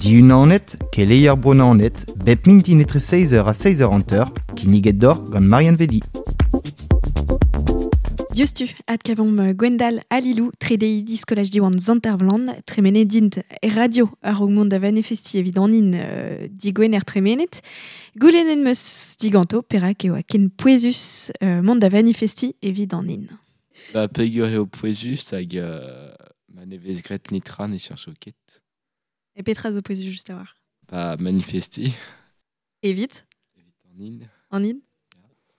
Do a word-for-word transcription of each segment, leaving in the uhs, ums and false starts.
Diunanet, keleier Bro Naoned, bep mintin etre seiz eur ha seiz eur hanter, kinniget deoc'h gant Marianne Velli. Diouzhtu, adkavomp Gwendal ha Lilou, tredeidi skolaj Diwan Sant-Ervlan, tremenet dint e radio a-raok mont da vanifesti evit an hin euh, digwener tremenet. Goulennet 'm eus diganto perak e oa ken pouezus euh, mont da vanifesti evit an hin. Ba peogwir eo pouezus hag euh, ma ne vez graet netra ne cheñcho ket. E petra zo pouezus just a-walc'h? Ba manifesti. Evit? Evit an hin. An hin?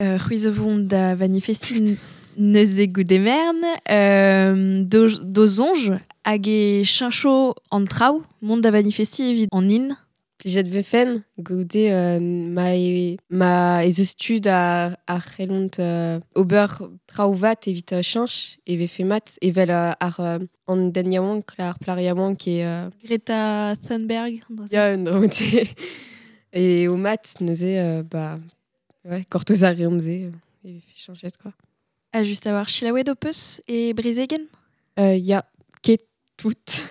Euh, c'hwi zo vont da vanifesti neuze goude merenn, euh, d'o, d'ho soñj hag e cheñcho an traoù mont da vanifesti evit an hin. Plijet vefen goude euh, ma e, ma ez eus tud a, a c'hellont euh, ober traoù vat evit euh, cheñch e vefe mat evel euh, ar euh, an den yaouank, ar plac'h yaouank e... Euh, Greta Thunberg, an dra-se. Ya, un dra E o mat neuze euh, ba ouais, gortoz a reomp se euh, e vefe cheñchet quoi. Ha just a-walc'h selaouet ho peus e brezegenn? Euh, ya, ket tout.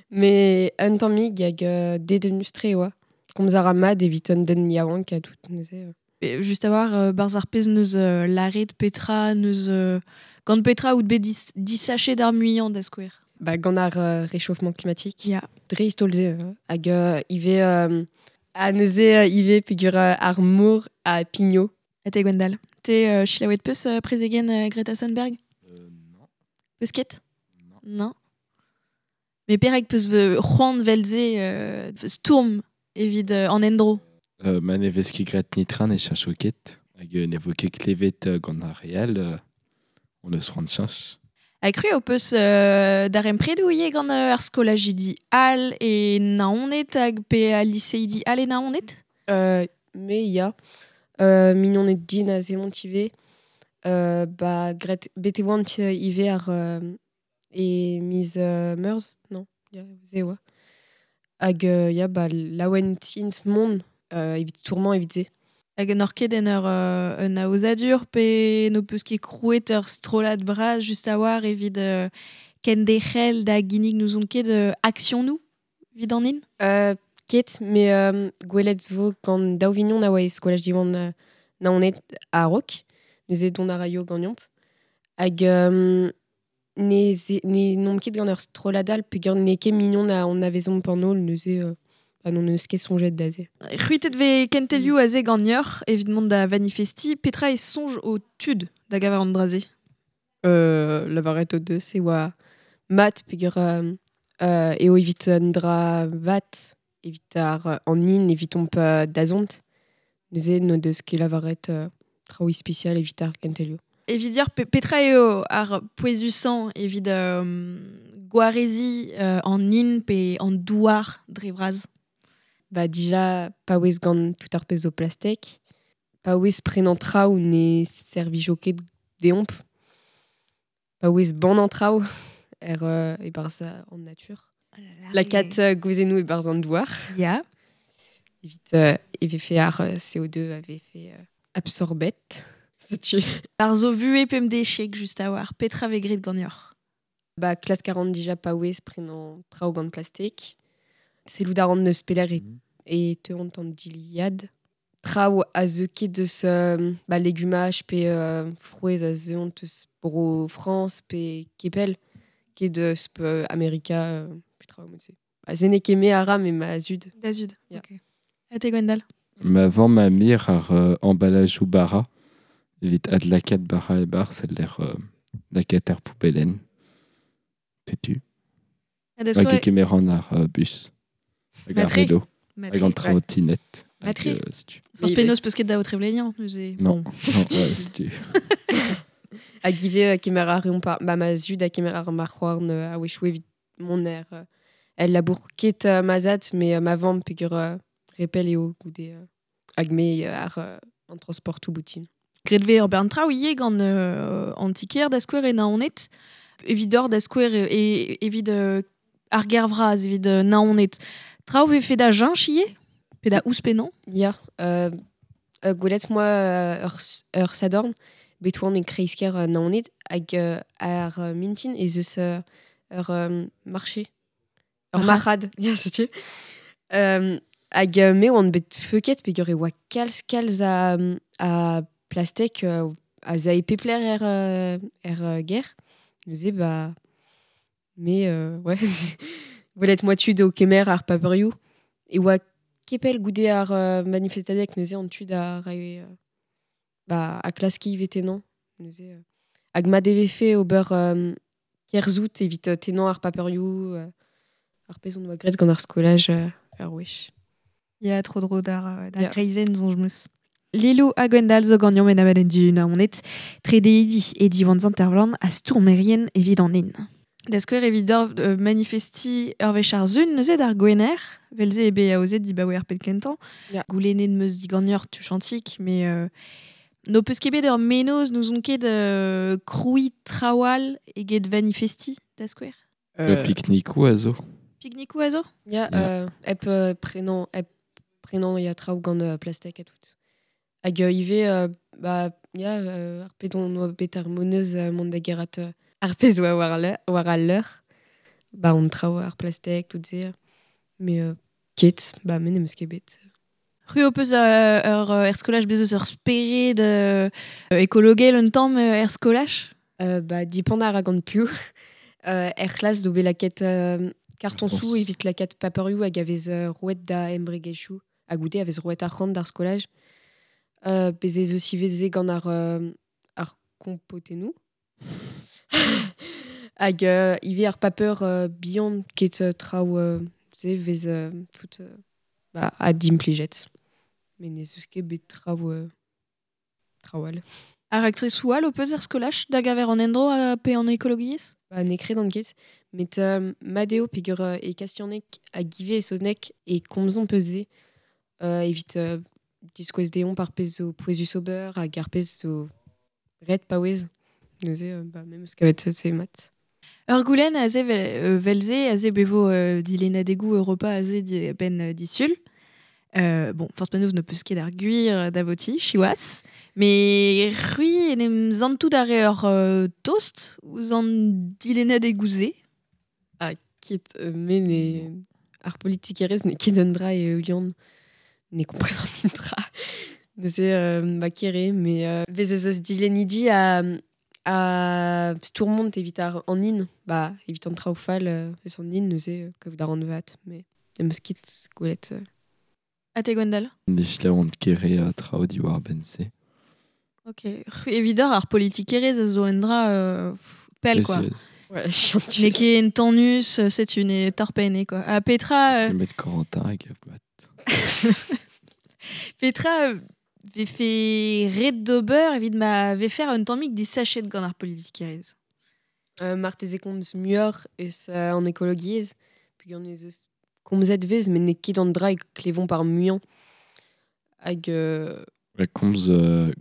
Mais un tammig hag euh, dedennus-tre oa. Komz a ra mat evit un den yaouank ha tout neuze. Euh. E just a-walc'h euh, barzh ar pezh neus euh, lâret petra neus euh, gant petra out bet dis disachet d'ar muiañ da skouer. Ba gant ar euh, réchauffement climatique. Ya. Dreist-holl se euh, hag euh, ivez euh, ha neuze euh, ivez peogwir euh, ar mor a pigno. Ha te Gwendal, te euh, selaouet peus euh, prezegenn euh, Greta Thunberg? Euh, non. Peus ket? Non. Non. Mais perak peus ve c'hoant 'vel-se euh, stourm evit euh, an endro? Euh, ma ne vez ket graet netra ne cheñcho ket. Hag euh, ne vo ket klevet euh, gant ar re all, euh, on eus c'hoant cheñch. Ha cru ho peus euh, darempredoù ivez gant euh, ar skolajidi all e Naoned hag pe al liseidi all e Naoned? Euh, me ya. Euh, mignoned din aze emaint ivez. Euh, ba graet bet e oant ivez ar euh, e miz euh, Meurzh, non, ya, se oa. Hag euh, ya, ba laouen int mont euh, evit stourmañ evit se. Hag n'oc'h ket en ur euh, un aozadur pe n'ho peus ket krouet ur strollad bras just a-walc'h evit euh, kenderc'hel da ginnig n'ouzon ket euh, aksionoù evit an hin? Euh, ket, mais euh, gwelet vo gant daou vignon a oa e skolaj Diwan euh, Naoned a-raok, neuze dont a raio ganeomp. Hag euh, ne, ze, ne n'omp ket gant ur strollad all peogwir n'eo ket mignon a anavezomp an holl, neuze euh, ba n'hon eus ket soñjet da se. C'hwitet vez kentelioù aze ganeoc'h evit mont da vanifesti, petra e soñj ho tud da gaver an dra-se? Euh, lavaret o deus e oa mat peogwir euh, euh, eo evit un dra vat, evit ar an hin, evitomp euh, dazont. Neuze n'o deus ket lavaret euh, traoù ispisial evit ar kentelioù. Evit dir pe petra eo ar pouezusañ evit euh, gwareziñ euh, an hin pe an douar dre vras? Ba dija paouez gant tout ar pezh zo plastek, paouez prenañ traoù ne servijo ket deomp, paouez bannañ traoù er euh, e-barzh an natur. Lakaat euh, gwezennoù e-barzh an douar. Ya. Evit euh, e vefe ar euh, C O deux a vefe euh, absorbet. Setu. Ar zo vuhez pemdeziek just a-walc'h, petra vez graet ganeoc'h? Ba klask a ran dija paouez prenañ traoù gant plastek. Sellout a ran neus pelec'h e, Mhm. e teuont an dilhad. Traoù a zeu ket deus euh, ba legumaj pe euh, frouezh a zeuont eus bro Frañs pe Kepel, ket deus pe Amerika, euh, pe traoù mod-se. Ba se n'eo ket me a ra, me ma zud. Da zud, Ya. ok. Ha te Gwendal? Ma vamm a mir ar euh, emballage bara, evit adlakaat bara e-barzh, e-lec'h euh, lakaat er poubellenn. Setu. Ha da Hag skouer e kemeran ar euh, bus. Hag ar Matre. vélo. Matre. Hag an trottinette. Hag, Matre. euh, setu. Forzh Oui, penaos peus ket da trevleniañ, neuze. Non, Bon. non, ouais, setu. Hag ivez euh, kemer a reomp ar, ba ma zud a kemer ar marc'houarn euh, a-wechoù evit mont er, euh, el labour ket euh, ma zad, mais euh, ma vamm peogwir euh, repell eo goude euh, hag me euh, ar euh, an transportoù boutin. Graet vez ur bern traoù ivez gant euh, an ti-kêr da skouer e Naoned, evit ur da skouer e, e, evit euh, ar gêr vras, evit euh, Naoned. Traoù vefe da cheñch ivez? Pe da ouzhpennañ? Ya, euh, euh, gwelet moi euh, ur, ur sadorn, bet oan e kreiz-kêr euh, Naoned hag euh, ar euh, mintin ez eus euh, ur euh, marché. Ur Marc'had. marc'had, ya, setu. Euh, hag euh, me oan bet feuket peogwir e oa kalz kalz a, a plastek euh, a zae pepler er, euh, er euh, ger. Neuze ba me euh, ouais gwelet moa tud o kemer ar paperioù e oa kepel goude ar euh, manifestadeg neuze an tud a rae euh, ba a klaski vetenan neuze euh, hag ma devefe ober euh, kerzout evit euh, tenañ ar paperioù euh, ar pezh on oa graet gant ar skolaj euh, ar wech. Ya tro dro d'ar, euh, d'ar Ya. greizenn zoñj meus. Lilou ha Gwendal zo ganeomp en abadenn du Naoned, tredeidi e Diwan Zantervlan a stourmerien evit an hin. Da skouer evit d'or euh, manifesti ur wech ar zun neuze d'ar gwener, velze ebe aozet dibaoe ar pell kentañ. Ya. Goulennet meus diganeoc'h tuchantik, mais euh, no peus ket bet ur menoz n'ouzon ket euh, kroui trawal eget manifesti da skouer. Le pique-nique ou azo. Pique-nique ou azo? Ya, Ya. euh, hep euh, prenañ, hep prenañ ya traoù gant euh, plastek ha tout. Hag euh, ivez, euh, ba, ya, euh, ar pezh on oa bet ar moneuz euh, mont da gerat euh, ar pezh oa war, le, war al leur, ba on traoù ar plastek, tout se. Mais euh, ket, ba me n'em eus ket bet. C'hwi ho peus euh, ur euh, er skolaj bez eus ur spered euh, ekologel un tamm euh, er skolaj? Euh, ba, dipant ar gant piv. Euh, er c'hlas zo bet lakaet euh, karton Karton sou sou. evit lakaet paperioù hag a vez euh, roet da embregerezhioù ha goude a vez roet arc'hant d'ar skolaj. Euh, bez ez eus ivez gant ar, euh, ar kompotennoù. Hag euh, ivez ar paper euh, bihan ket euh, traoù euh, se vez euh, tout euh, ba, a dimplijet. Mais ne eus ket bet traoù euh, traoù all. Ar aktrisou all ho peus er skolaj da gaver an endro a pe an ekologiezh? Ba, n'eo ket an ket, met euh, mat eo peogwir euh, e kastianek hag ivez e saozneg e komzomp eus se euh, evit euh, diskouez dezhoñ ar pezh zo pouezus ober hag ar pezh zo ret paouez. Neuze, euh, ba, me 'm eus kavet se se mat. Ur goulenn aze vel, euh, velze, aze bevo euh, dilennadegoù Europa aze di, ben euh, disul. Euh, bon, force panouz ne peus ket ar gwir da voti, siwazh, mais c'hwi en em zantout ar re ur euh, tost ouzh an dilennadegoù se. Ah, ket, euh, me ne... Ar politikerezh n'eo ket un dra e eulian ne komprenan nintra. Neuze, euh, ba kere, mais euh, bez ez eus dilennidi a, a stourmont evit ar an hin, ba, evit an traoù fall euh, eus an hin, neuze, euh, kaout ar an vat, mais em eus ket gwelet. Euh. Ha te Gwendal? Ne chlaont kere a traoù diwar ben se. Ok. C'hwi evit ar politikerezh a zo un dra euh, pff, pell, quoi. Ouais, chiantus. N'eo ket entanus, euh, setu ne torpenne, quoi. Ha Petra... Euh, Met Corentin hag a mat. Petra euh, vefe ret d'ober evit ma vefer un tammig disachet gant ar politikerezh. Euh, marteze komz muioc'h eus euh, an ekologiezh, peogwir ez eus komzet vez, met n'eo ket an dra e klevomp ar muiañ. Hag euh, La komz euh,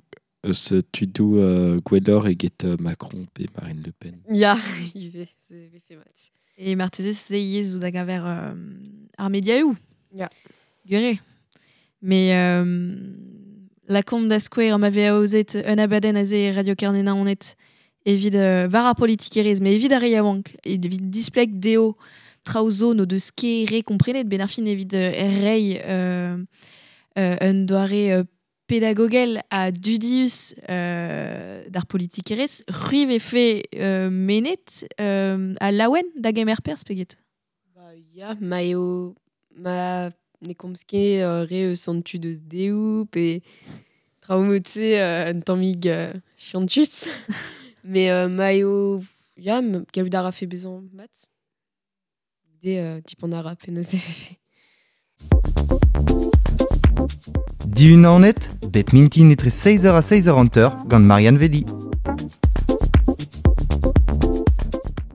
eus tudoù euh, gwelloc'h eget euh, Macron pe Marine Le Pen. Ya, ivez, se vefe mat. E marteze se yezh zo da gaver euh, ar mediaoù. Ya. Gure. Mais euh, la komp da skouer ma vez aozet un abadenn aze Radio Kernena onet evit euh, war ar politikerezh, mais evit ar re yaouank, evit displeg dezho traoù zo no deus ket re komprenet, ben ar fin evit euh, rei euh, euh, un doare euh, pedagogel a dudius euh, d'ar politikerezh, c'hwi vefe euh, menet euh, a laouen da gemer perzh peget. Ba, ya, ma eo ma ne komz ket euh, re eus an tud eus deoù pe traoù mod-se euh, un tammig euh, chiantus. Mais euh, ma eo ya, gallout a rafe bezañ mat. De euh, dipant a ra penaos e vefe. Dihun Naoned, bep mintin etre seizh eur ha seizh eur hanter gant Marianne Velli.